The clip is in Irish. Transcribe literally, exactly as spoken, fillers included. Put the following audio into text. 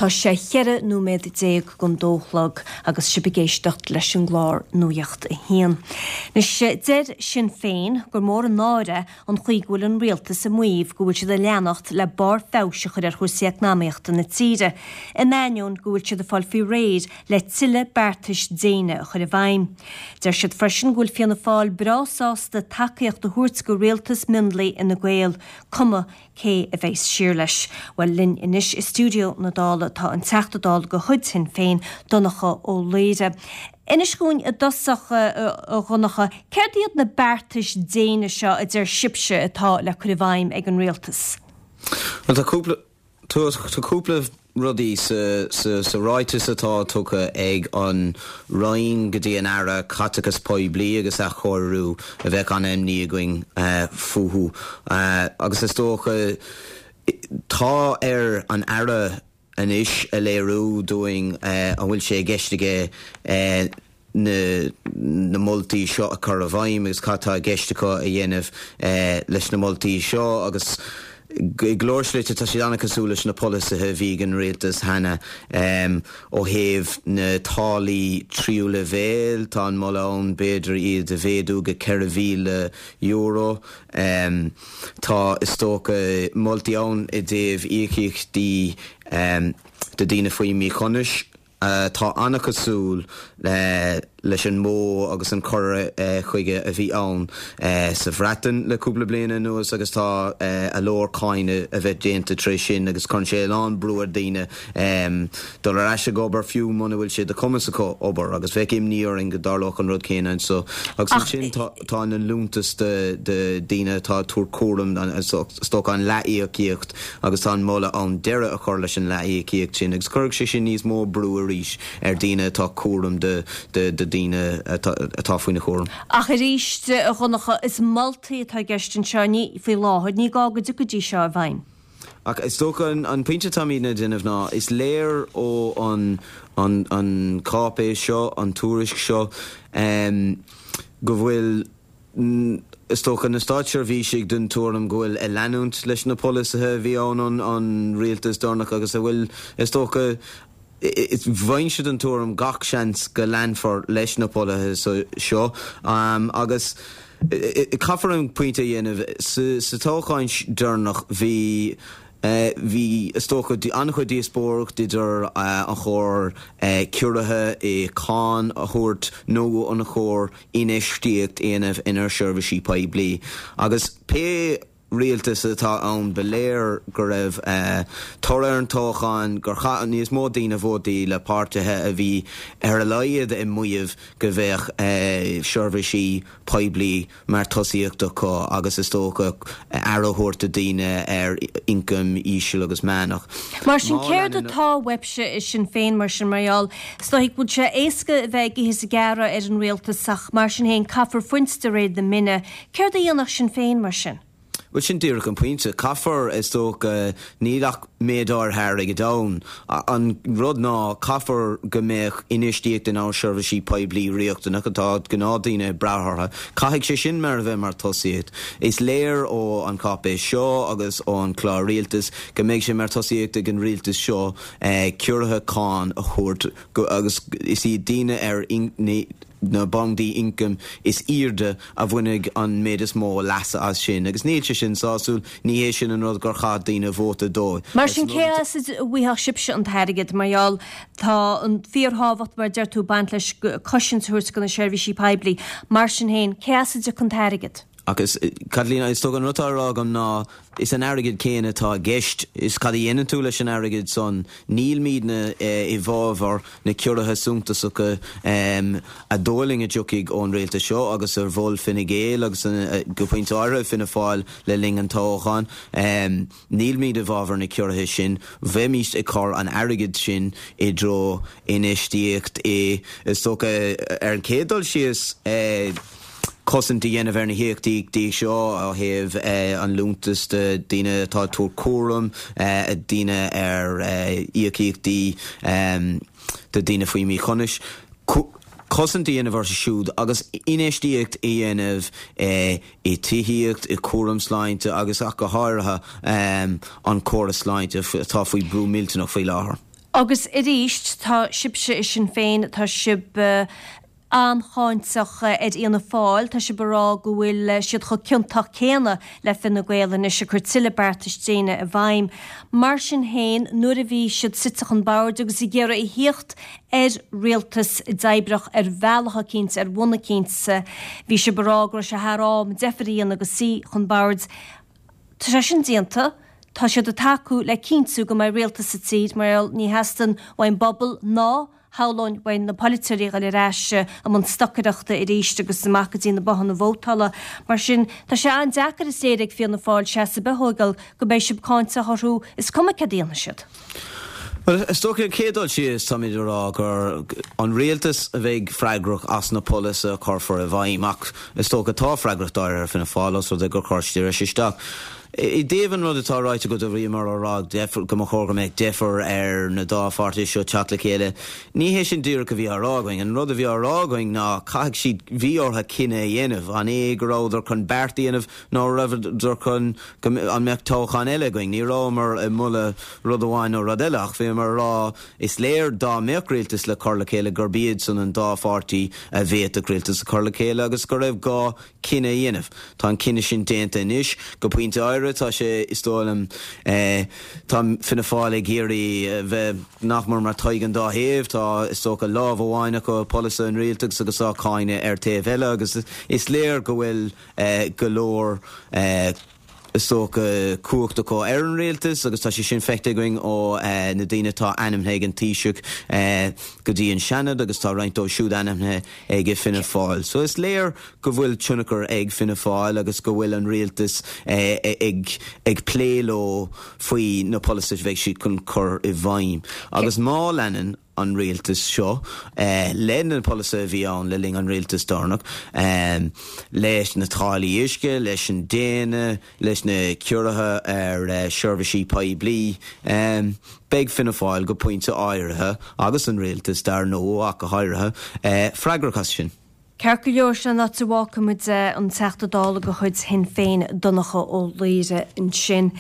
Tá sé cheithre nóiméad déag don dó a chlog agus sibh ag éisteacht leis an gclár Nuacht a hAon. Anois deir Sinn Féin gur mór an náire an chaoi go bhfuil an rialtas ag maíomh go bhfuil siad ag leanacht le barr feabhais a chur ar chúrsaí eacnamaíochta na tíre, in ainneoin go bhfuil siad ag fáil faoi réir le tuilleadh beartais déine a chur i bhfeidhm. Deir siad freisin go bhfuil Fianna Fáil breá sásta tacaíocht a thabhairt do rialtas mionlaigh Fhine Gael, cuma cé a bheas siar leis. Bhuel linn anois i stiúideo na Dála tá an Teachta Dála de chuid Shinn Féin Donncha Ó Laoghaire. Inis dúinn i dtosach a Dhonncha, céard iad na beartais déine seo a deir sibhse atá le cur i bhfeidhm ag an rialtas? Well tá cúpla tá cúpla rudaí sa, sa, sa ráiteas atá tugtha ag an Roinn go dtí an Aire Caiteachas Poiblí agus Athchóiriú a bheadh an-imní againn uh, fúthu uh, agus is dócha tá ar an Aire anois a léiriú dúinn uh, an bhfuil sé i gceist aige uh, na, na moltaí seo a chur i bhfeidhm agus cad tá i gceist acu a dhéanamh uh, leis na moltaí seo agus go leor slite tá siad an-chosúil leis na polasaithe a bhí ag an rialtas cheana um, ó thaobh na táillí tríú leibhéal tá an moladh ann b'fhéidir iad a mhéadú go ceithre mhíle euro. Um, tá is dócha moltaí ann i dtaobh íocaíochtaí um, do daoine faoi mhíchumas Uh, tá an-chosúil uh, leis an modh agus an cur uh, chuige a bhí ann uh, sa Bhreatain le cúpla bliain anuas agus tá uh, a leor cáineadh a bheith déanta trí sin agus chun sé lán brú ar daoine um, dul ar ais ag obair fiú muna bhfuil sé de chumas acu obair agus bheadh imní orainn go dtarlódh an rud céanna so agus ansin tá tá an liúntas de de daoine atá ag tabhairt cúram is dócha an leath-íocaíocht agus tá an moladh ann deireadh a chur leis an leath-íocaíocht sin agus chuirfeadh sé sin níos mó brú arís ar daoine atá cúram de de de daoine atá faoina chúram. Ach arís a Dhonncha is moltaí atá i gceist anseo ní faoi láthair ní gá go dtiocfaidís seo i bhfeidhm. Ach is dócha an, an pointe táimid ag déanamh ná is léir ó an, an, an cáipéis seo an tuairisc seo um, go bhfuil is dócha na státseirbhísigh den tuairim go bhfuil ag leanúint leis na polasaithe a bhí ann an, an rialtas deireanach agus a bhfuil is dócha bhain siad an tuairim gach seans go leanfar leis na polasaithe seo um, agus caithfear an pointe a dhéanamh sa toghchán deireanach bhí Uh, bhí is dócha an-chuid díospóireacht idir uh, an chóir uh, ciorruithe i cáin a thabhairt nó an chóir infheistíocht a dhéanamh inár seirbhísí poiblí. Agus pé rialtas atá ann ba léir go raibh uh, toradh an toghcháin gur chaith níos mó daoine vótaí le páirtithe a bhí ar a laghad ag maíomh go bheadh uh, seirbhísí poiblí mar tosaíocht acu agus is dócha aire a thabhairt do daoine ar ioncam íseal agus meánach. Mar sin céard atá uaibhse i Sinn Féin mar sin mar Stoigh bhfuil sé éasca bheith ag gearán ar an rialtas ach mar sin féin caithfear fuint de réir na mine, Céard a dhéanfadh Sinn Féin mar sin? Well sin díreach an pointe caithfear is dócha níl ach méid áirithe airgid ann. An rud ná caithfear go mbeadh infheistíocht in ár seirbhísí poiblí riachtanach atá gnáthdhaoine ag brath orthu. Caithfidh sé sin mar a bheith mar tosaíocht. Is léir ó an cáipéis seo agus ó an clár rialtais go mbeidh sé mar tosaíocht ag an rialtas seo eh, ciorruithe cáin a thabhairt agus is iad daoine ar na bandaí ioncaim is airde a bhainfidh an méid is mó leasa as sin, agus níl sé sin sásúil ní hé sin an rud gur chaith daoine vóta dó. Mar sin cé as a bhfaigheadh sibhse an t-airgead mar gheall tá an fíorthábhacht mar deir tú baint leis cosaint a thabhairt do na seirbhísí poiblí, mar sin féin cé as a dtiocfaidh an t-airgead. Agus Caitlín is dócha an rud atá á rá agam ná is an airgead céanna atá i gceist is cad a dhéanann tú leis an airgead san nílimidne i bhfabhar na ciorruithe suntasacha a dóigh a dtiocfaidh ón rialtas seo agus ar mhol Fine Gael agus go pointe áirithe Fianna Fáil le linn an toghcháin. Nílimid i bhfabhar na ciorruithe sin, bheimís ag cur an airgead sin i dtreo infheistíocht i is dócha ar an chéad dul síos cosaint a dhéanamh ar na híocaíochtaí seo ó thaobh an liúntas do daoine atá ag tabhairt cúram, daoine ar íocaíochtaí do daoine faoi mhíchumas. Cosaint a dhéanamh orthu siúd agus infheistíocht a dhéanamh i tithíocht, i cúram sláinte agus ach go háirithe an córas sláinte atá faoi brú millteanach faoi láthair. Agus arís tá sibhse i Sinn Féin tá sibh an-cháinteach ar Fhianna Fáil, tá sibh ag rá go bhfuil siad chomh ciontach céanna le Fine Gael anois ag cur tuilleadh beartais déine i bhfeidhm. Mar sin féin, nuair a bhí siad suite chun boird agus ag iarraidh a thíocht ar rialtas oibreach ar bhealach eicínt, ar bhonn eicínt, bhí sibh ag rá go raibh sé thar am deifir a dhéanamh agus suí chun boird. Tá sé sin déanta. Tá siad ag tacú le cinntiú go mbeidh rialtas sa tír mar gheall ní theastaíonn uaidh an bpobal ná shamhlóinn uaidh na polaiteoirí a dhul ar ais i mbun stocaireachta arís agus amach go dtí na bothanna vótála. Mar sin, tá sé an-deacair is léir ag Fianna Fáil seasamh a thógáil go mbeidh sibh cáinteach orthu is cuma céard a dhéanfaidh siad. Bhuel, is dócha an chéad dul síos táimid a rá gur an rialtas a bheidh freagrach as na polasaithe a chuirfear i bhfeidhm ach is dócha tá freagracht áirithe ar Fianna Fáil os rud é gur chuir siad ar ais isteach. I dtaobh an rud atá ráite agat a bhíomar á rá go mba chóir go mbeadh deifir ar na dá pháirtí seo teacht le chéile, ní hé sin díreach a bhí á rá againn. An rud a bhí á rá againn ná caithfidh siad bhí orthu cinneadh a dhéanamh, an é go rabhadar chun beart a dhéanamh nó rabhadar chun go an mbeadh toghchán eile againn. Ní rabhamar ag moladh rud amháin nó rud eile ach bhíomar ag rá is léir dá mbeadh rialtas le cur le chéile gurb iad san an dá pháirtí a bhféadfadh rialtas a chur le chéile agus go raibh gá cinneadh a dhéanamh. Tá an cinneadh sin déanta anois go pointe áirithe tá sé is dóigh liom tá Fianna Fáil ag iarraidh bheith nach mór mar Tadhg an dá thaobh, tá is dócha lámh amháin acu polasaithe an rialtais agus á cáineadh ar taobh eile agus is léir go bhfuil go leor is dócha cumhacht acu ar an rialtas agus tá sé sin feicthe againn ó na daoine atá ainmnithe ag an Taoiseach go dtí an Seanad agus tá roinnt dóibh siúd ainmnithe ag Fianna Fáil. So is léir go bhfuil tionchar ag Fianna Fáil agus go bhfuil an rialtas ag ag plé leo faoi na polasaithe a bheidh siad chun cur i bhfeidhm. Agus má leanann an rialtas seo le na polasaithe a bhí ann le linn an rialtas deireanach, leis na táillí uisce, leis an déine, leis na ciorruithe ar seirbhísí poiblí, beidh Fianna Fáil go pointe áirithe, agus an rialtas dar ndóigh ach go háirithe, freagrach as sin. Ceart go leor, sin an áit a bhfágfaimid an Teachta Dála de chuid Shinn Féin, Donncha Ó Laoghaire ansin.